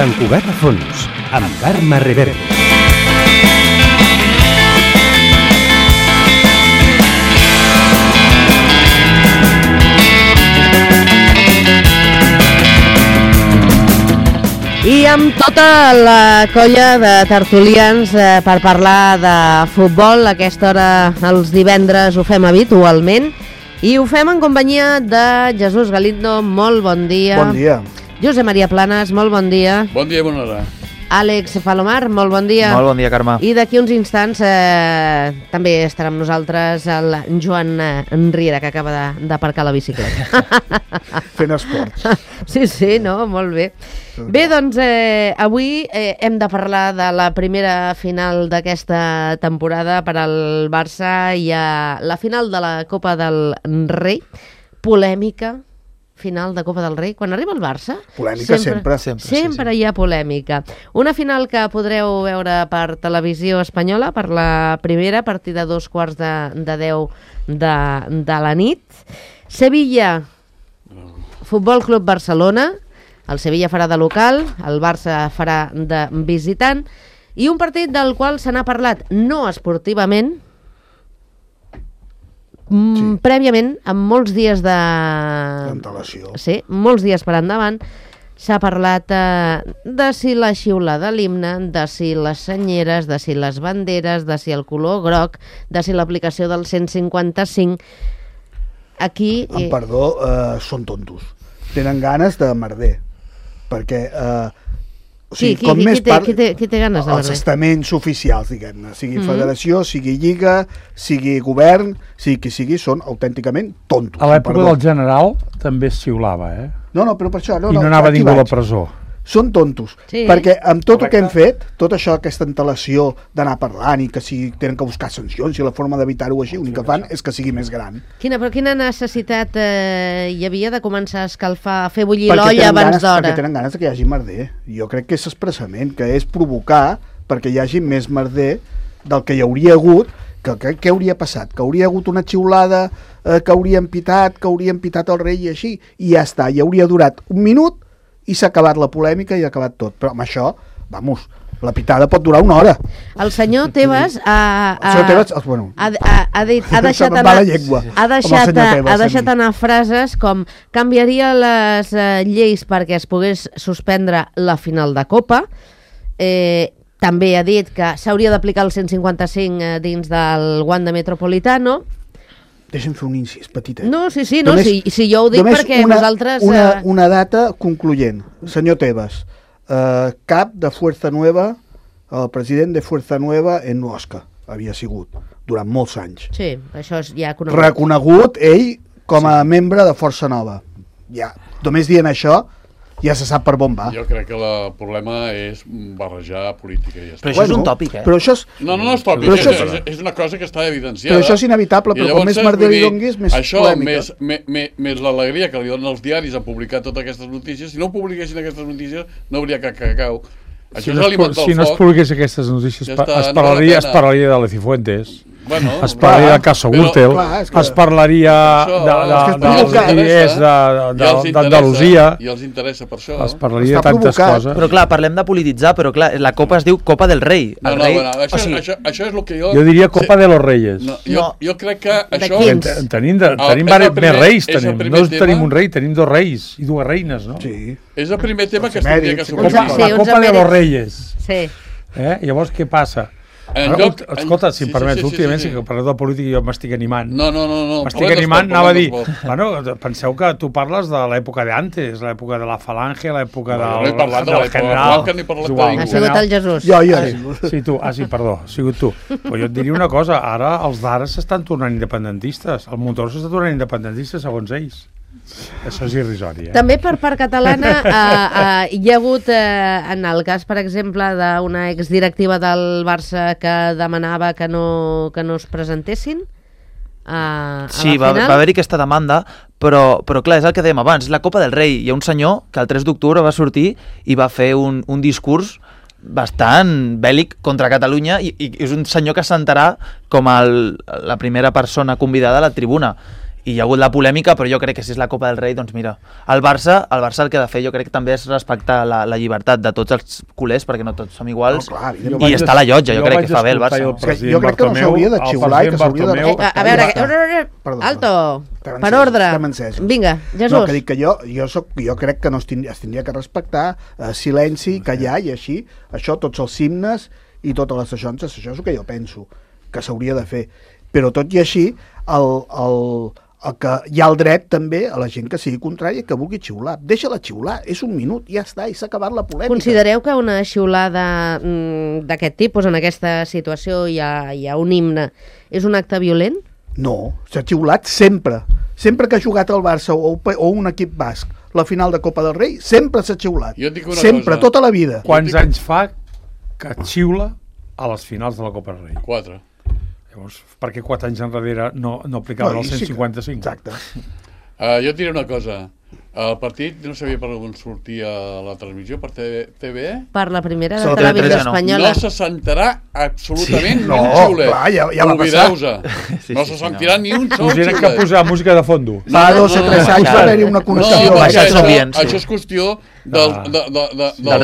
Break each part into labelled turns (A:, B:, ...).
A: Sant Cugat a fons, amb Carme Reverte.
B: I amb tota la colla de tertulians per parlar de futbol, a aquesta hora els divendres ho fem habitualment i ho fem en companyia de Jesús Galindo, molt bon dia.
C: Bon dia.
B: Josep Maria Planas, molt bon dia.
D: Bon dia i bona hora.
B: Àlex Palomar, molt bon dia.
E: Molt bon dia, Carme.
B: I d'aquí uns instants també estarà amb nosaltres el Joan Riera, que acaba d'aparcar la bicicleta.
C: Fent esport.
B: Sí, no? Molt bé. Bé, doncs avui hem de parlar de la primera final d'aquesta temporada per al Barça. Hi ha la final de la Copa del Rei, polèmica, final de Copa del Rei. Quan arriba el Barça...
C: Polèmica sempre.
B: Sempre hi ha polèmica. Una final que podreu veure per televisió espanyola per la primera, a partir de 2:15 de la nit. Sevilla, Futbol Club Barcelona. El Sevilla farà de local, el Barça farà de visitant. I un partit del qual se n'ha parlat no esportivament, prèviament, amb molts dies
C: d'antelació.
B: Sí, molts dies per endavant, s'ha parlat de si la xiula de l'himne, de si les senyeres, de si les banderes, de si el color groc, de si l'aplicació del 155. Aquí...
C: Amb perdó, són tontos. Tenen ganes de merder. Perquè...
B: Qui té ganes de merder?
C: Els estaments oficials, diguem-ne. Sigui federació, sigui lliga, sigui govern, sigui qui sigui, són autènticament tontos.
F: A l'època del general també es xiulava, eh?
C: No, però per això...
F: I no anava ningú a la presó.
C: Són tontos, perquè amb tot el que hem fet, tot això, aquesta antelació d'anar parlant i que si tenen que buscar sancions i la forma d'evitar-ho així, l'únic que fan és que sigui més gran.
B: Però quina necessitat hi havia de començar a escalfar, a fer bullir l'olla abans d'hora?
C: Perquè tenen ganes que hi hagi merder. Jo crec que és expressament, que és provocar perquè hi hagi més merder del que hi hauria hagut. Què hauria passat? Que hauria hagut una xiulada, que haurien pitat el rei i així, i ja està, i hauria durat un minut i s'ha acabat la polèmica i ha acabat tot. Però amb això, vamos, la pitada pot durar una hora.
B: El senyor Tebas ha deixat anar frases com canviaria les lleis perquè es pogués suspendre la final de Copa. També ha dit que s'hauria d'aplicar el 155 dins del Wanda Metropolitano.
C: Deixa'm fer un incís petitet.
B: No, sí, jo ho dic perquè nosaltres...
C: Una data concloent. Senyor Tebas, cap de Fuerza Nueva, el president de Fuerza Nueva en Osca, havia sigut durant molts anys.
B: Sí, això és ja conegut.
C: Reconegut ell com a membre de Força Nova. Ja, només dient això, ja se sap per on va.
D: Jo crec que el problema és barrejar política i ja està.
E: Però això és un tòpic, eh?
C: Però això és...
D: No és tòpic, és una cosa que està evidenciada.
C: Però això és inevitable, però com més merder li donguis, més polèmica.
D: Això, més l'alegria que li donen els diaris a publicar totes aquestes notícies, si no publiquessin aquestes notícies no hauria cacau. Això és alimentar el foc.
F: Si no es publiqués aquestes notícies, es parlaria de la Cifuentes. Es parlaria del Caso Gürtel, es parlaria dels diners d'Andalusia,
D: i els interessa per això.
F: Es parlaria de tantes coses.
E: Però clar, parlem de polititzar, però clar, la Copa es diu Copa del Rei.
D: Això és el que jo...
F: Jo diria Copa de los Reyes.
D: Jo crec que això...
F: Tenim més reis, no tenim un rei, tenim dos reis i dues reines, no?
C: Sí.
D: És el primer tema que es tindria que sortir.
F: La Copa de los Reyes.
B: Sí.
F: Llavors, què passa? Escolta, si em permets, últimament sí que parleu de política i jo m'estic animant.
D: No.
F: M'estic animant, anava a dir... Bueno, penseu que tu parles de l'època d'antes, l'època de la Falange, l'època del general...
B: Ha sigut el Jesús.
F: Sí, tu. Sí, perdó, ha sigut tu. Però jo et diria una cosa, ara els d'ara s'estan tornant independentistes. El motor s'està tornant independentista, segons ells. Això és irrisori,
B: També per part catalana hi ha hagut, en el cas, per exemple, d'una exdirectiva del Barça que demanava que no es presentessin a la final.
E: Va haver-hi aquesta demanda, però clar, és el que dèiem abans, és la Copa del Rei. Hi ha un senyor que el 3 d'octubre va sortir i va fer un discurs bastant bèl·lic contra Catalunya i és un senyor que s'assentarà com la primera persona convidada a la tribuna. hi ha hagut la polèmica, però jo crec que si és la Copa del Rei, doncs mira, el Barça el que ha de fer jo crec que també és respectar la llibertat de tots els culers, perquè no tots som iguals, i està a la llotja, jo crec que fa bé el Barça.
C: Jo crec que no s'hauria de xiular i que s'hauria de respectar.
B: A veure, alto, per ordre. Vinga, Jesús.
C: No, que dic que jo crec que no es tindria que respectar, silenci, callar, i així, això, tots els himnes i totes les seixonces, això és el que jo penso que s'hauria de fer. Però tot i així, que hi ha el dret també a la gent que sigui contrària que vulgui xiular. Deixa-la xiular, és un minut, ja està, i s'ha acabat la polèmica.
B: Considereu que una xiulada d'aquest tipus, en aquesta situació, hi ha un himne, és un acte violent?
C: No, s'ha xiulat sempre. Sempre que ha jugat el Barça o un equip basc la final de Copa del Rei, sempre s'ha xiulat. Sempre, tota la vida.
F: Quants anys fa que xiula a les finals de la Copa del Rei?
D: 4.
F: Llavors, per què 4 anys enrere no aplicaven el 155?
C: Exacte.
D: Jo et diré una cosa. El partit no sabia per on sortia la transmissió, per TV?
B: Per la primera de Televisió Espanyola.
D: No se sentirà absolutament ni un xiulet.
C: Clar, ja va passar.
D: No se sentirà ni un sol xiulet.
F: Us que posar música de fondo.
C: Fa 2 o 3 anys va haver-hi una connexió.
D: Això és qüestió del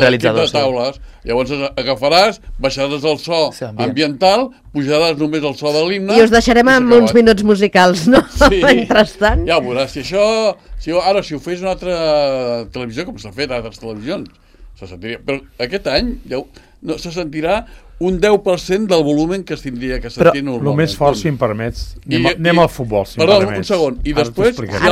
E: realitzador
D: de taules. Llavors agafaràs, baixaràs el so ambiental, pujaràs només el so de l'himne...
B: I us deixarem amb uns minuts musicals, no?
D: Sí.
B: Mentrestant.
D: Ja ho veuràs. Si ho fes una altra televisió, com s'ha fet a altres televisions, se sentiria... Però aquest any se sentirà un 10% del volumen que es tindria que sentir normalment.
F: El més fort, si em permets, anem al futbol, si em permets.
D: Perdó, un segon. I després, si hi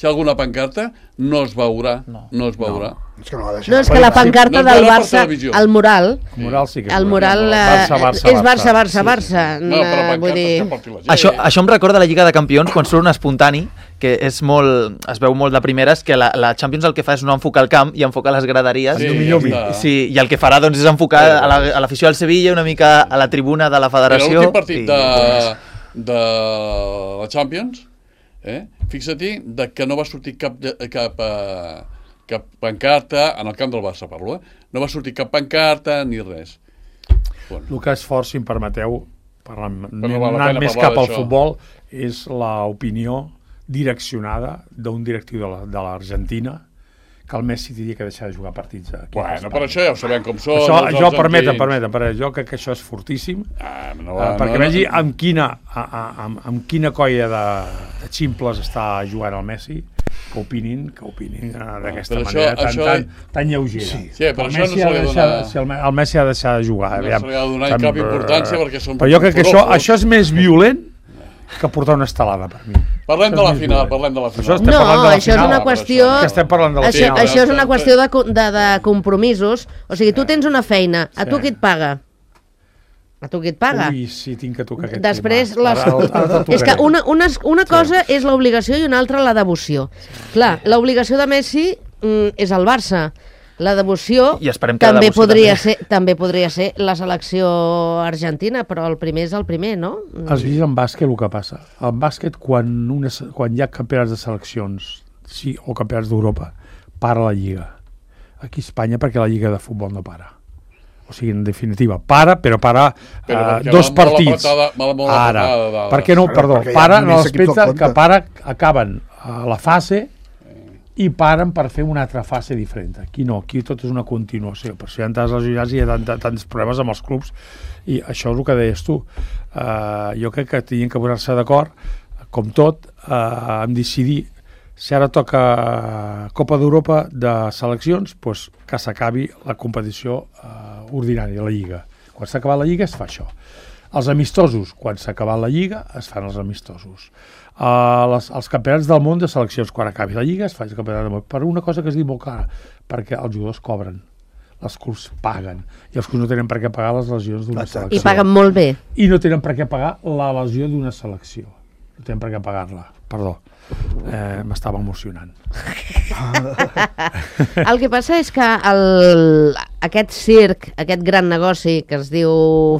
D: ha alguna pancarta, no es veurà. No es veurà.
B: No, és que la pancarta del Barça, el mural...
F: El mural sí que és.
B: El mural és Barça.
D: No, però pancarta...
E: Això em recorda la Lliga de Campions, quan surt un espontani, que es veu molt de primeres, que la Champions el que fa és no enfocar el camp i enfocar les graderies. Sí, i el que farà doncs, és enfocar a l'afició del Sevilla, una mica a la tribuna de la federació.
D: Era l'últim partit de la Champions, fixa-t'hi que no va sortir cap pancarta, en el camp del Barça parlo, no va sortir cap pancarta ni res.
F: El que és fort, si em permeteu, anant més cap al futbol, és l'opinió direccionada d'un directiu de l'Argentina que el Messi hauria que deixar de jugar partits aquí.
D: Bueno, per això ja ho sabem com són.
F: Això, permeten, jo crec que això és fortíssim, perquè vegi amb quina colla de ximples està jugant el Messi, que opinin d'aquesta manera tan lleugera.
D: Sí, però això no se li ha donat...
F: El Messi ha de deixar de jugar.
D: No se li ha donat cap importància perquè són...
F: Però jo crec que això és més violent que portar una estelada, per mi.
D: Parlem de la final.
B: Això és una qüestió... Això és una qüestió de compromisos. O sigui, tu tens una feina, a tu qui et paga?
F: Ui, sí, tinc que tocar aquest
B: després,
F: tema.
B: És que una cosa és l'obligació i una altra la devoció. Clar, l'obligació de Messi és el Barça. La devoció també podria ser la selecció argentina, però el primer és el primer, no?
F: Has vist en bàsquet el que passa? En bàsquet, quan hi ha campionats de seleccions o campionats d'Europa, para la Lliga. Aquí a Espanya, perquè la Lliga de futbol no para. O sigui, en definitiva, para 2 partits. Ara, per què no? Perdó, para en l'aspecte que acaben la fase i paren per fer una altra fase diferent. Aquí no, aquí tot és una continuació. Per això hi ha tantes lesionats i hi ha tants problemes amb els clubs, i això és el que deies tu. Jo crec que tenien que posar-se d'acord, com tot, en decidir si ara toca Copa d'Europa de seleccions, doncs que s'acabi la competició ordinària, la Lliga. Quan s'ha acabat la Lliga es fa això. Els amistosos, quan s'ha acabat la Lliga, es fan els amistosos. Els campionats del món de seleccions, quan acabi la Lliga, es fa el campionat del món. Per una cosa que es diu molt clara, perquè els jugadors cobren, els clubs paguen, i els clubs no tenen per què pagar les lesions d'una selecció.
B: I paguen molt bé.
F: I no tenen per què pagar la lesió d'una selecció. No tenen per què pagar-la. Perdó, m'estava emocionant.
B: El que passa és que aquest circ, aquest gran negoci que es diu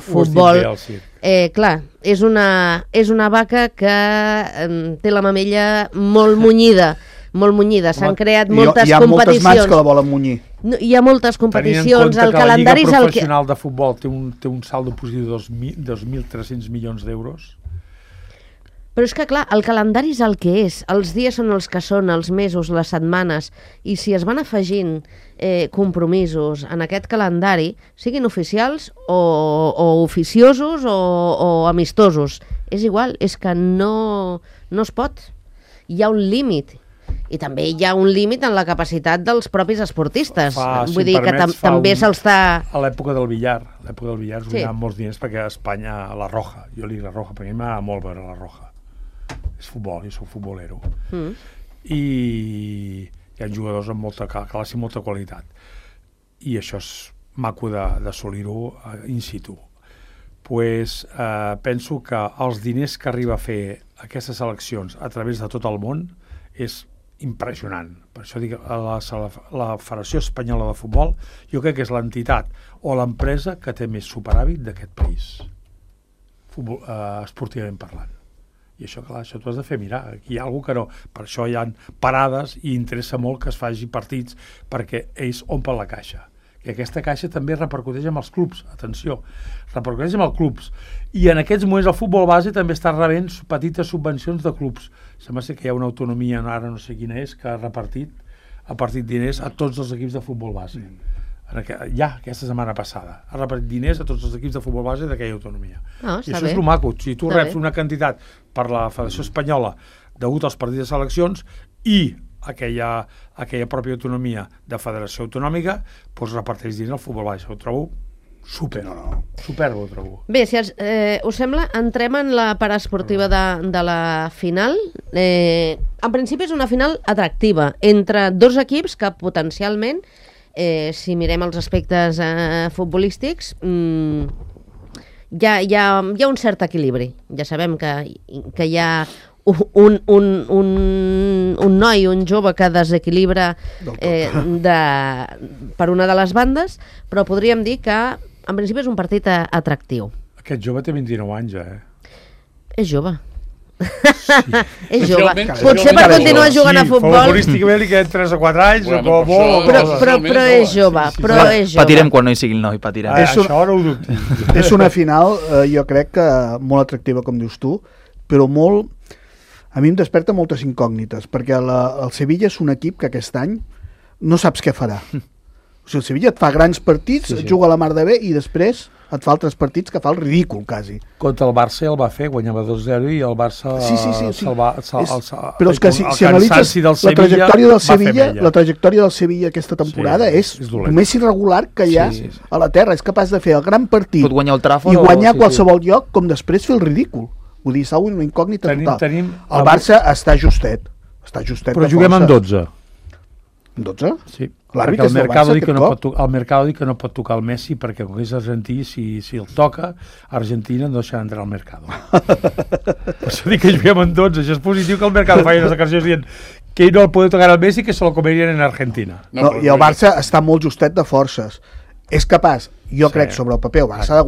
B: futbol, clar, és una vaca que té la mamella molt munyida. S'han creat moltes competicions.
C: Hi ha moltes mans que la volen munyir.
B: Hi ha moltes competicions, el calendari és
F: el que... La Lliga Professional de Futbol té un saldo positiu de 2.300 milions d'euros.
B: Però és que, clar, el calendari és el que és. Els dies són els que són, els mesos, les setmanes. I si es van afegint compromisos en aquest calendari, siguin oficials o oficiosos o amistosos, és igual, és que no es pot. Hi ha un límit. I també hi ha un límit en la capacitat dels propis esportistes. Vull dir que també se'ls està...
F: A l'època del billar es guanyaven molts diners perquè a Espanya, la Roja, jo li dic la Roja, perquè a mi m'agrada molt veure la Roja. És futbol, jo soc futbolero. I hi ha jugadors amb molta classe i molta qualitat. I això és maco d'assolir-ho in situ. Penso que els diners que arriba a fer aquestes eleccions a través de tot el món és impressionant. Per això dic, la Federació Espanyola de Futbol jo crec que és l'entitat o l'empresa que té més superàvit d'aquest país, esportivament parlant. I això, clar, això t'ho has de fer mirar. Aquí hi ha alguna que no. Per això hi ha parades i interessa molt que es faci partits perquè ells omplen la caixa. I aquesta caixa també repercuteix amb els clubs. Atenció, repercuteix amb els clubs. I en aquests moments el futbol base també està rebent petites subvencions de clubs. Sembla que hi ha una autonomia, ara no sé quina és, que ha repartit diners a tots els equips de futbol base. Ja, aquesta setmana passada. Ha repartit diners a tots els equips de futbol base d'aquella autonomia. I això és el maco. Si tu reps una quantitat per la Federació Espanyola degut als partits de seleccions i aquella pròpia autonomia de federació autonòmica, doncs reparteix diners al futbol base. Ho trobo superb, ho trobo.
B: Bé, si us sembla, entrem en la part esportiva de la final. En principi és una final atractiva entre dos equips que potencialment, si mirem els aspectes futbolístics, hi ha un cert equilibri. Ja sabem que hi ha un noi, un jove que desequilibra per una de les bandes, però podríem dir que en principi és un partit atractiu.
F: Aquest jove té 29 anys,
B: És jove. És jove. Potser per continuar jugant a futbol...
F: Futbolísticament li queden 3 o 4 anys,
B: però és jove.
E: Patirem quan no hi sigui el noi, patirem.
F: Això no ho dubti.
C: És una final, jo crec que molt atractiva, com dius tu, però molt... A mi em desperta moltes incògnites, perquè el Sevilla és un equip que aquest any no saps què farà. O sigui, el Sevilla et fa grans partits, et juga a la mar de bé i després et fa altres partits que fa el ridícul, quasi.
F: Contra el Barça el va fer, guanyava 2-0 i el Barça se'l va...
C: Però és que si analitzes la trajectòria del Sevilla aquesta temporada és el més irregular que hi ha a la terra. És capaç de fer el gran partit i guanyar qualsevol lloc, com després fer el ridícul. Vull dir, s'ha una incògnita total. El Barça està justet.
F: Però juguem en 12.
C: En 12?
F: Sí.
C: L'àrbitre
F: és del Barça aquest cop? El Mercado diu que no pot tocar el Messi perquè com que és argentí, si el toca, Argentina no deixarà entrar al Mercado. Per això dic que juguem en 12. Això és positiu que el Mercado faci unes declaracions dient que ell no el pot tocar al Messi, que se lo comerien en Argentina.
C: I el Barça està molt justet de forces. És capaç, jo crec, sobre el paper, el Barça ha de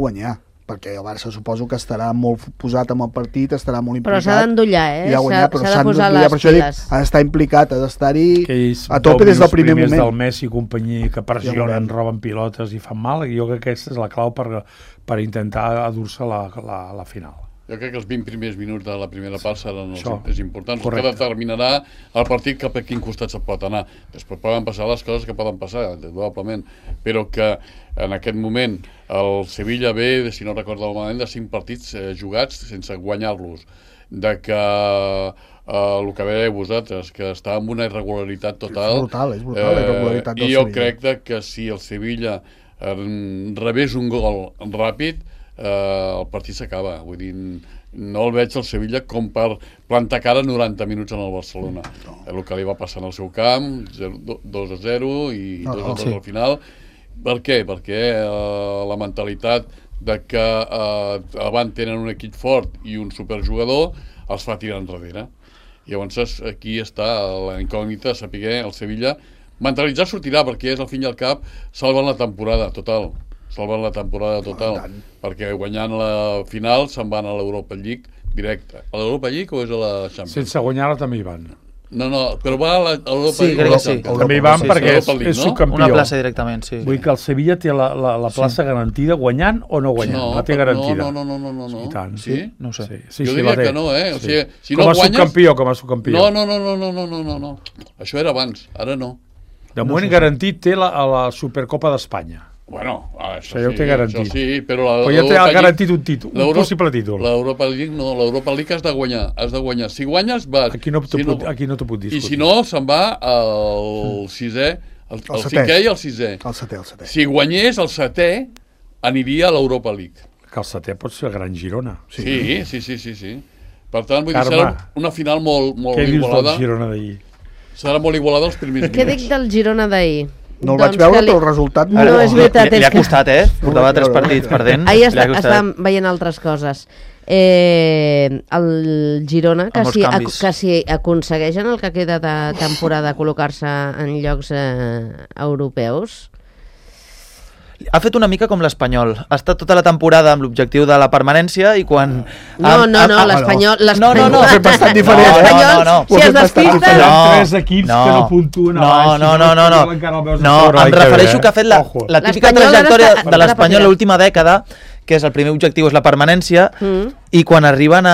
C: guanyar. Perquè el Barça suposo que estarà molt posat amb el partit, estarà molt implicat.
B: Però s'ha d'endollar, s'ha de posar les piles.
C: Ha d'estar implicat, ha d'estar-hi a tope des del primer moment.
F: Del Messi i companyia que pressionen, roben pilotes i fan mal, i jo crec que aquesta és la clau per intentar adur-se la final.
D: Jo crec que els 20 primers minuts de la primera part seran els importants, que determinarà el partit cap a quin costat se pot anar. Després poden passar les coses que poden passar, probablement, però que en aquest moment el Sevilla ve, si no recordo malament, de 5 partits jugats sense guanyar-los, de que el que veieu vosaltres, que està amb una irregularitat total.
C: És brutal la irregularitat del Sevilla.
D: I jo crec que si el Sevilla rebés un gol ràpid, el partit s'acaba. Vull dir, no el veig al Sevilla com per plantar cara 90 minuts en el Barcelona. El que li va passar en el seu camp, 2-0 i 2-2 al final. Per què? Perquè la mentalitat de que abans tenen un equip fort i un superjugador els fa tirar enrere. I llavors aquí està la incògnita de saber el Sevilla mentalitzar sortirà, perquè és al fin i al cap salven la temporada total, perquè guanyant la final se'n van a l'Europa League directe. A l'Europa League o és a la Champions?
F: Sense guanyar-la també hi van.
D: No, però va a l'Europa
E: Sí, crec que sí.
F: També hi van perquè
D: Europa League,
F: és
D: no?
F: subcampió.
E: Una plaça directament, sí.
F: Vull dir que el Sevilla té la plaça garantida guanyant o no guanyant.
D: No,
F: la té garantida.
D: No.
F: I tant.
D: Sí?
E: No ho sé.
F: Sí,
D: Jo
F: sí,
D: diria
F: la té.
D: que no, eh? O sigui, si
F: com
D: no
F: a
D: guanyes...
F: subcampió.
D: No. Això era abans, ara no.
F: De moment garantit té la Supercopa d'Espanya.
D: Bueno, això
F: Això ja ho té garantit.
D: Això sí, però
F: Però ja té garantit un títol, un possible títol.
D: L'Europa League no, l'Europa League has de guanyar. Si guanyes, vas.
F: Aquí no t'ho puc discutir.
D: I si no, se'n va al sisè, el cinquè i el sisè.
C: El setè.
D: Si guanyés el setè, aniria a l'Europa League.
F: Que el setè pot ser el Gran Girona.
D: Sí. Per tant, vull dir,
F: Carme,
D: serà una final molt
F: què dius
D: igualada.
F: del Girona d'ahir?
D: Serà molt igualada els primers
B: Què dic del Girona d'ahir?
C: No el vaig veure, però el resultat...
B: No, és veritat,
E: Li ha
B: és que...
E: costat, Portava 3 partits perdent.
B: Ahir estàvem veient altres coses. El Girona,
E: Amb molts canvis.
B: que si aconsegueixen el que queda de temporada col·locar-se en llocs europeus...
E: Ha fet una mica com l'Espanyol. Ha estat tota la temporada amb l'objectiu de la permanència i quan...
B: No, l'Espanyol...
E: No.
C: Ho ha fet bastant diferent.
E: No.
B: Si es despista...
F: Hi ha 3 equips que no puntuen a baix.
E: No, em refereixo que ha fet la típica trajectòria de l'Espanyol l'última dècada, que és el primer objectiu és la permanència, i quan arriben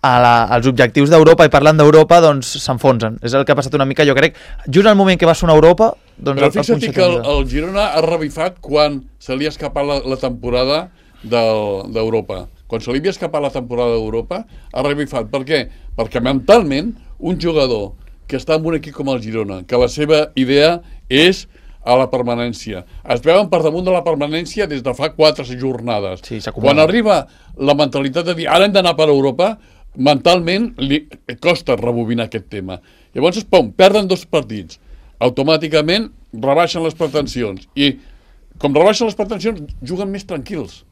E: als objectius d'Europa i parlant d'Europa, doncs s'enfonsen. És el que ha passat una mica, jo crec, just al moment que va sonar Europa, doncs
D: però fixa't que el Girona ha revifat quan se li ha escapat la temporada d'Europa. Quan se li havia escapat la temporada d'Europa, ha revifat. Per què? Perquè mentalment, un jugador que està en un equip com el Girona, que la seva idea és a la permanència. Es veuen per damunt de la permanència des de fa 4 jornades.
E: Sí,
D: quan arriba la mentalitat de dir ara hem d'anar per Europa, mentalment li costa rebobinar aquest tema. Llavors, pum, perden 2 partits. Automàticament rebaixen les pretensions. I com rebaixen les pretensions, juguen més tranquils.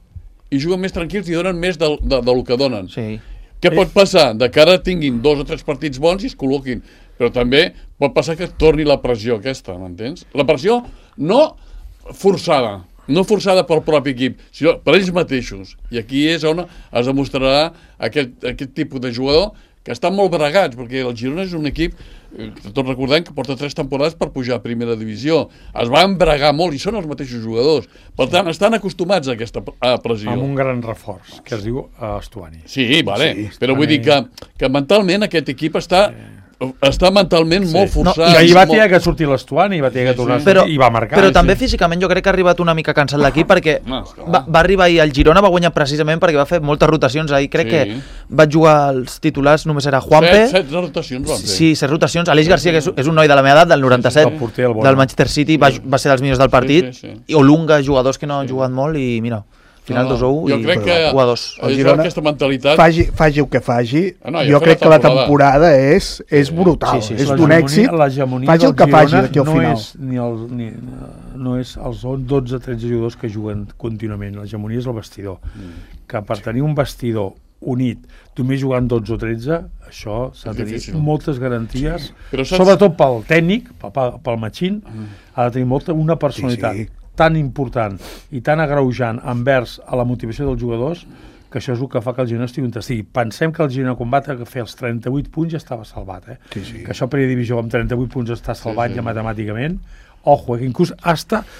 D: I donen més del que donen.
E: Sí.
D: Què pot passar? De que ara tinguin 2 o 3 partits bons i es col·loquin. Però també pot passar que torni la pressió aquesta, m'entens? La pressió no forçada pel propi equip, sinó per ells mateixos. I aquí és on es demostrarà aquest tipus de jugador que estan molt bregats, perquè el Girona és un equip, tots recordem que porta 3 temporades per pujar a primera divisió. Es va embregar molt i són els mateixos jugadors. Per tant, estan acostumats a aquesta pressió.
F: Amb un gran reforç, que es diu Estuani.
D: Sí, vale. Però vull dir que mentalment aquest equip està mentalment molt forçat.
F: I ahir va tenir que sortir l'Estuani, va tenir que tornar i va marcar.
E: Però també físicament jo crec que ha arribat una mica cansat l'equip perquè va arribar ahir al Girona, va guanyar precisament perquè va fer moltes rotacions. Ahir crec que va jugar els titulars, només era Juanpe.
D: 7 rotacions van fer.
E: Sí, 7 rotacions. Aleix Garcia, que és un noi de la meva edat, del 97, del Manchester City, va ser dels millors del partit. I Olunga, jugadors que no han jugat molt i mira... Final 2-1
D: jo crec que
C: el Girona, aquesta mentalitat... faci el que faci, jo crec que la temporada és brutal, és d'un èxit, faci el que faci d'aquí al final.
F: No és els 12-13 jugadors que juguen contínuament, l'hegemonia és el vestidor. Que per tenir un vestidor unit, només jugant 12 o 13, això s'ha de tenir moltes garanties, sobretot pel tècnic, pel Machín, ha de tenir una personalitat tan important i tan agreujant envers a la motivació dels jugadors que això és el que fa que el Girona estigui on estigui. Pensem que el Girona quan va fer els 38 punts ja estava salvat, que això per divisió amb 38 punts està salvat ja matemàticament. Ojo, que inclús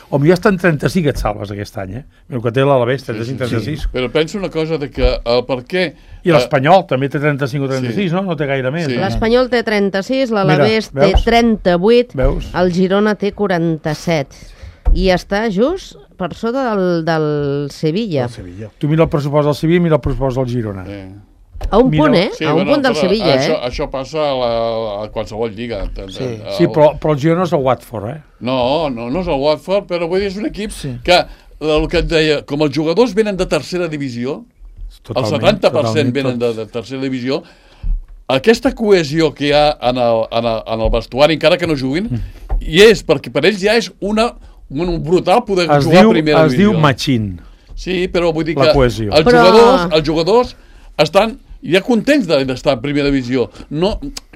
F: o millor està en 35 et salves aquest any, el que té l'Alavés, 35-36.
D: Però penso una cosa de que per què...
F: I l'Espanyol també té 35 o 36, no? No té gaire més.
B: L'Espanyol té 36, l'Alavés té 38, el Girona té 47. I està just per sota del Sevilla.
F: Tu mira el pressupost del Sevilla i mira el pressupost del Girona.
B: A un punt, a un punt del Sevilla,
D: Això passa a qualsevol lliga.
F: Sí, però el Girona és el Watford,
D: No és el Watford, però vull dir, és un equip que, el que et deia, com els jugadors venen de tercera divisió, el 70% venen de tercera divisió, aquesta cohesió que hi ha en el vestuari, encara que no juguin, i és perquè per ells ja és un brutal poder jugar a primera divisió.
F: Es diu Machín.
D: Sí, però vull dir que els jugadors estan ja contents d'estar a primera divisió.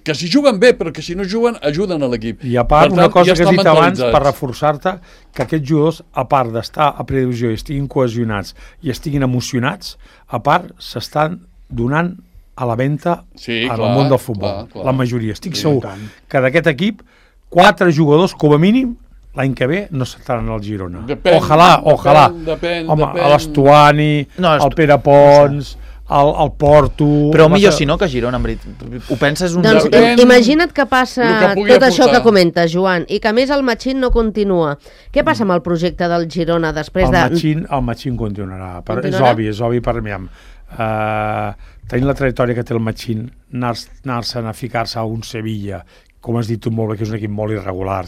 D: Que si juguen bé, però que si no juguen, ajuden a l'equip.
F: I a part, una cosa que has dit abans, per reforçar-te, que aquests jugadors, a part d'estar a primera divisió i estiguin cohesionats i estiguin emocionats, a part s'estan donant a la venda
D: Sí,
F: en
D: clar,
F: el món del futbol.
D: clar.
F: La majoria. Estic
D: Sí,
F: segur
C: tant.
F: que d'aquest equip 4 jugadors, com a mínim, l'any que ve no estaran al Girona. Ojalà.
D: Depèn.
F: Home, l'Estuani,
E: No,
F: el Pere Pons, el Porto...
E: Però millor si no que Girona, en veritat. Ho penses un...
B: Doncs
D: Depèn
B: imagina't que passa
D: el que pugui
B: tot això
D: aportar.
B: que comentes, Joan, i que a més el Machín no continua. Què passa amb el projecte del Girona després
F: El Machín continuarà.
B: Continuarà?
F: És obvi per mi. Tenint la trajectòria que té el Machín, anar-se'n a ficar-se a un Sevilla, com has dit tu molt bé, que és un equip molt irregular,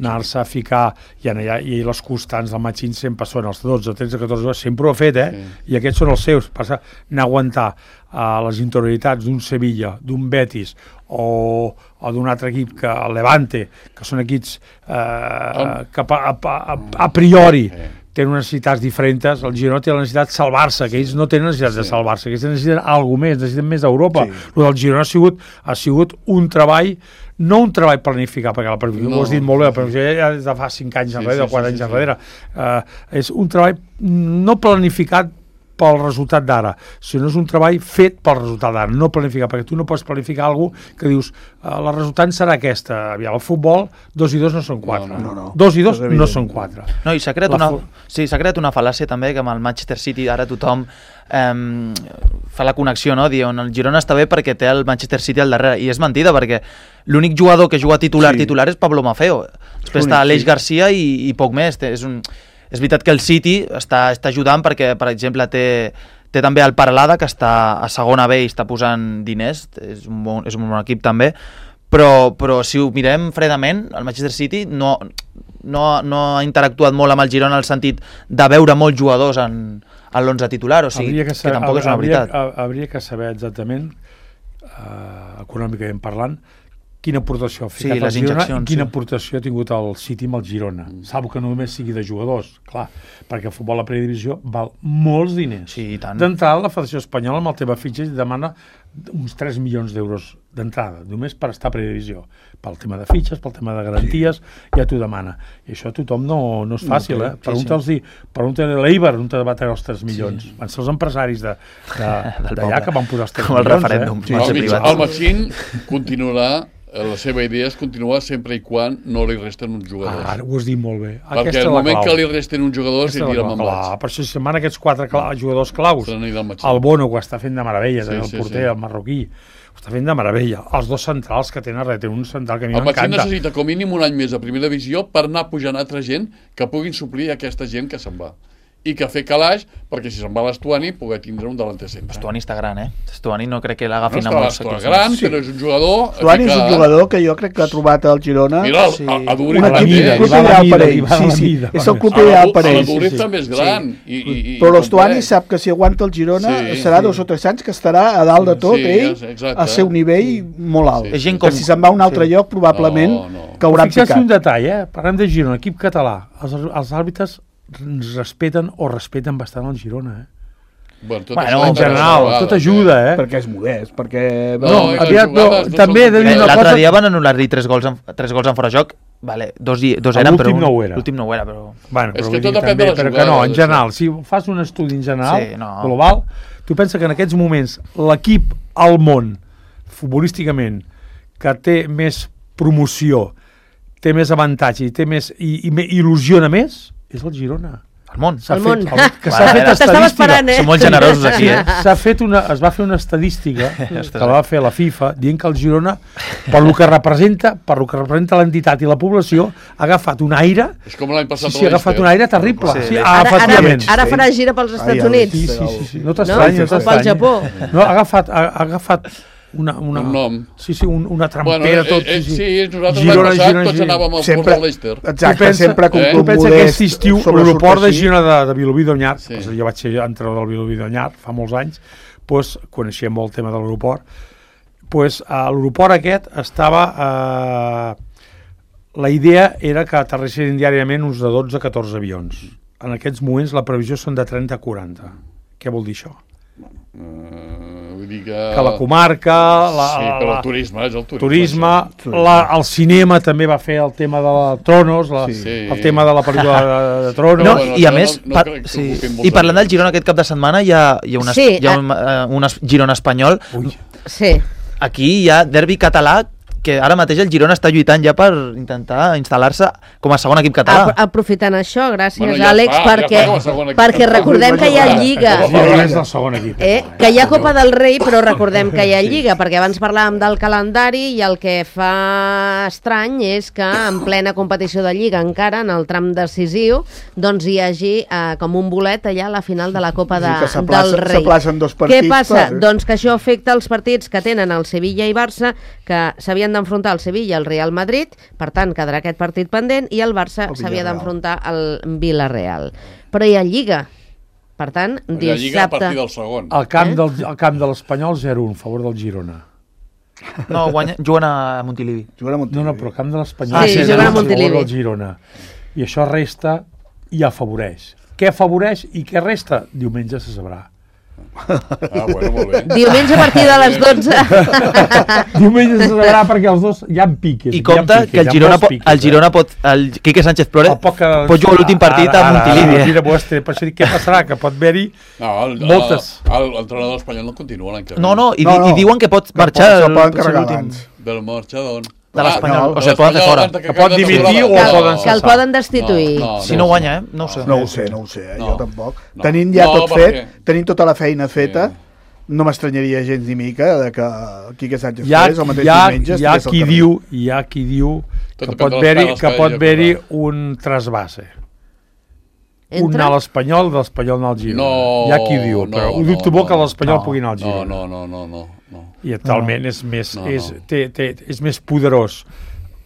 F: anar-se a ficar i les constants del Machín sempre són els 12, 13, 14, sempre ho ha fet, i aquests són els seus. Passa n'aguantar les interioritats d'un Sevilla, d'un Betis o d'un altre equip, que el Levante, que són equips que a priori tenen unes necessitats diferents. El Girona té la necessitat de salvar-se, que ells no tenen necessitat de salvar-se, que ells necessiten alguna més, necessiten més d'Europa. El del Girona ha sigut un treball, no un treball planificat, perquè la planificació ho has dit molt bé, però ja des de fa 5 anys enrere, o 4 anys enrere. És un treball no planificat pel resultat d'ara, sinó és un treball fet pel resultat d'ara, no planificat, perquè tu no pots planificar alguna cosa que dius la resultant serà aquesta. Aviam, al futbol 2 i 2 no són 4.
C: No.
F: 2 i 2 no són 4.
E: No, i s'ha creat una fal·làcia també, que amb el Manchester City ara tothom fa la connexió, no? Diuen, el Girona està bé perquè té el Manchester City al darrere, i és mentida, perquè l'únic jugador que juga titular és Pablo Maffeo. Després està Aleix Garcia i poc més. És veritat que el City està ajudant perquè, per exemple, té també el Paralada, que està a segona B i està posant diners, és un bon equip també, però si ho mirem fredament, el Manchester City no ha interactuat molt amb el Girona en el sentit de veure molts jugadors en l'11 titular, o sigui, que tampoc és una veritat.
F: Hauria que saber exactament, econòmicament parlant, quina aportació ha ficat el Girona i quina aportació ha tingut el City amb el Girona. Salvo que no només sigui de jugadors, clar, perquè el futbol a la primera divisió val molts diners.
E: Sí, i tant.
F: D'entrada, la Federació Espanyola amb el tema fitxes demana uns 3 milions d'euros d'entrada, només per estar a primera divisió. Pel tema de fitxes, pel tema de garanties, ja t'ho demana. I això a tothom no és fàcil, Pregunta a l'Eibar on te va treure els 3 milions. Van ser els empresaris d'allà que van posar els 3 milions.
E: Com el referèndum.
D: El Machín continuarà. La seva idea és continuar sempre i quan no li resten uns jugadors.
F: Ara ho has dit molt bé.
D: Perquè el moment que li resten uns jugadors s'hi tira mamlats.
F: Per això si se'n van aquests 4 jugadors claus. El Bono ho està fent de meravella, el porter, el marroquí, ho està fent de meravella. Els 2 centrals que tenen un central que a mi m'encanta.
D: El Machín necessita com mínim un any més a primera divisió per anar pujant altra gent que puguin suplir aquesta gent que se'n va. I que fer calaix, perquè si se'n va l'Estuani poder tindre un delanter centre.
E: Estuani està gran, Estuani no crec que l'agafin amb molts
D: equips. Està gran, però és un jugador...
C: Estuani és un jugador que jo crec que ha trobat al Girona...
D: Mira, a Duri
C: un equip ideal per ell. És el club ideal per ell.
D: A Duri també és gran.
C: Però l'Estuani sap que si aguanta el Girona serà 2 o 3 anys que estarà a dalt de tot, ell, al seu nivell molt alt. Que si se'n va a un altre lloc, probablement caurà picat.
F: Fixa't un detall, parlem de Girona, equip català. Els àrbitres respeten bastant el Girona, en general, tot ajuda,
C: Perquè és modest, perquè...
F: també he de dir una cosa...
E: L'altre dia van anul·lar-li 3 gols en fora joc, dos eren, però l'últim no ho era, però...
D: És que tot depèn de la jugada.
F: Però que no, en general, si fas un estudi en general, global, tu pensa que en aquests moments l'equip al món, futbolísticament, que té més promoció, té més avantatge i il·lusiona més, és el Girona.
E: El món.
F: Que s'ha fet estadística.
E: Som molt generosos aquí,
F: es va fer una estadística que va fer la FIFA dient que el Girona, per lo que representa l'entitat i la població, ha agafat un aire...
D: És com l'any passat
F: ha agafat un aire terrible.
B: Ara farà gira pels Estats Units.
F: Sí. No t'estranya.
B: O pel Japó.
F: No, ha agafat un nom. Una trampera tot.
D: Sí, nosaltres l'any passat tots anàvem al Port de l'Eister.
C: Exacte, sempre com
F: tu pensa que aquest estiu l'aeroport de Girona de Vilobí d'Onyar, jo vaig ser entrenador del Vilobí d'Onyar fa molts anys, coneixia molt el tema de l'aeroport, l'aeroport aquest estava... La idea era que aterrissin diàriament uns de 12-14 avions. En aquests moments la previsió són de 30-40. Què vol dir això?
D: Vull dir
F: que la comarca
D: però el turisme és el turisme,
F: el cinema també va fer el tema de Tronos, el tema de la pel·lícula de Tronos,
E: i a més i parlant del Girona aquest cap de setmana hi ha un Girona espanyol
B: Sí.
E: Aquí hi ha derbi català, que ara mateix el Girona està lluitant ja per intentar instal·lar-se com a segon equip català.
B: Aprofitant això, gràcies,
D: Bueno, ja
B: Àlex,
D: està, ja està com a segon equip.
B: perquè recordem que hi ha Lliga.
F: El Girona és el segon equip.
B: Que hi ha Copa del Rei, però recordem que hi ha Lliga, perquè abans parlàvem del calendari i el que fa estrany és que en plena competició de Lliga, encara en el tram decisiu, doncs hi hagi com un bolet allà a la final de la Copa del Rei.
C: S'aplacen dos partits.
B: Què passa? Doncs que això afecta els partits que tenen el Sevilla i Barça, que s'havien d'enfrontar el Sevilla i el Real Madrid, per tant quedarà aquest partit pendent, i el Barça s'havia d'enfrontar al Villarreal. Però hi ha Lliga, per tant,
D: La Lliga a
B: dissabte...
D: partir del segon.
F: Al camp de l'Espanyol 0-1 a favor del Girona.
E: No, juguen a Montilivi.
F: No, però al camp de l'Espanyol
B: Sí, juguen a Montilivi.
F: favor del Girona. I això resta i afavoreix. Què afavoreix i què resta? Diumenge se sabrà.
D: Bueno, molt bé.
B: Diumenge a partir de les 12.
F: Diumenge se sabrà perquè els dos hi ha piques.
E: I compte que el Girona pot, el Quique Sánchez Flores pot jugar l'últim partit a Montilivi.
F: Per això dic, què passarà? Que pot haver-hi moltes...
D: L'entrenador espanyol no continua l'any que ve.
E: No, i diuen que pot marxar l'últim
D: Del marxar d'on?
E: de l'Espanyol. O sigui, poden fer fora.
F: Que pot dimitir o poden
B: Que el poden destituir.
E: Si no guanya, no ho sé.
C: No ho sé, jo tampoc. Tenint ja tot fet, tenint tota la feina feta, no m'estranyaria gens ni mica de que Quique Sánchez Flores el mateix diumenge
F: hi ha qui diu que pot haver-hi un trasbase. Un anar a l'Espanyol, de l'Espanyol anar al Girona. Hi ha qui diu, però ho dubto molt que l'Espanyol pugui anar al Girona.
D: No.
F: I actualment és més poderós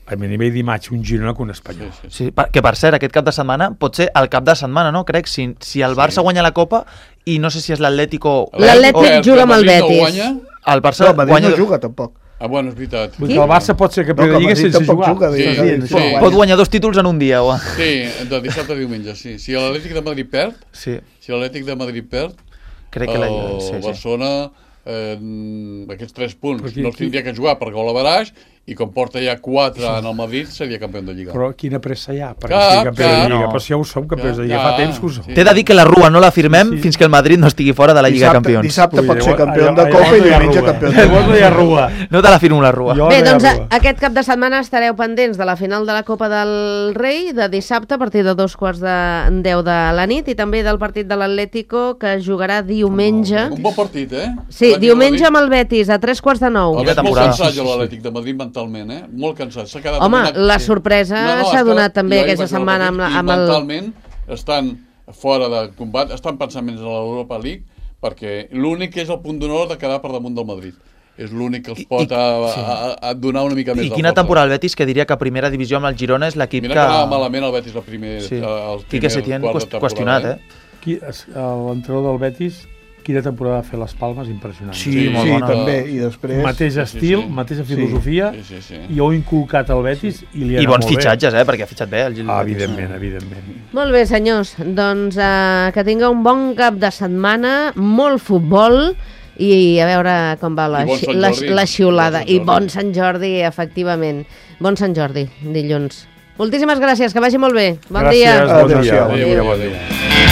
F: a nivell d'imatge un Girona que un Espanyol.
E: Sí, que per cert, aquest cap de setmana pot ser el cap de setmana, no? Crec, si el Barça guanya la Copa i no sé si és l'Atlético...
B: L'Atlètic juga amb el Betis.
E: El Barça
C: No, el Madrid no juga, tampoc.
D: Bueno, és veritat.
F: Vull dir que el Barça pot ser campió de Lliga sense jugar.
E: Pot guanyar 2 títols en un dia.
D: Sí, de dissabte a diumenge, sí. Si l'Atlètic de Madrid perd,
E: crec que
D: el Barcelona aquests 3 punts no els tindria que jugar per gol a baraix i com porta ja 4 en el Madrid seria campió de Lliga.
F: Però quina pressa hi ha perquè sigui campió de Lliga? Però si ja ho som campions de Lliga, fa temps que ho som.
E: T'he de dir que la Rua no la firmem fins que el Madrid no estigui fora de la Lliga de Campions.
C: Dissabte pot ser campió de Copa i diumenge campió de
F: Lliga.
E: No te la firmo la Rua.
B: Bé, doncs aquest cap de setmana estareu pendents de la final de la Copa del Rei de dissabte a partir de 2:10 de la nit i també del partit de l'Atlético que jugarà diumenge.
D: Un bon partit,
B: Sí, diumenge amb el Betis a 8:45.
D: El veig molt cansat jo l'Atlètic de Madrid mentalment, molt cansat.
B: Home, la sorpresa s'ha donat també aquesta setmana amb el...
D: Mentalment estan fora de combat, estan pensant menys en l'Europa League perquè l'únic que és el punt d'honor de quedar per damunt del Madrid. És l'únic que els pot donar una mica més de força.
E: I quina temporada el Betis, que diria que a primera divisió amb el Girona és l'equip que...
D: Mira que anava malament el Betis el primer
E: Quique Setién qüestionat,
F: L'entrenador del Betis, quina temporada va fer les Palmes, impressionant.
E: Sí, molt bona.
C: també, i després...
F: Mateix estil, mateixa filosofia, i ho ha inculcat el Betis i li ha anat molt bé.
E: I bons fitxatges, perquè ha fitxat bé el Betis.
F: Evidentment.
B: Molt bé, senyors, doncs que tingueu un bon cap de setmana, molt futbol, i a veure com va la xiulada. I bon Sant Jordi, efectivament. Bon Sant Jordi, dilluns. Moltíssimes gràcies, que vagi molt bé. Bon dia.
F: Gràcies, bon dia.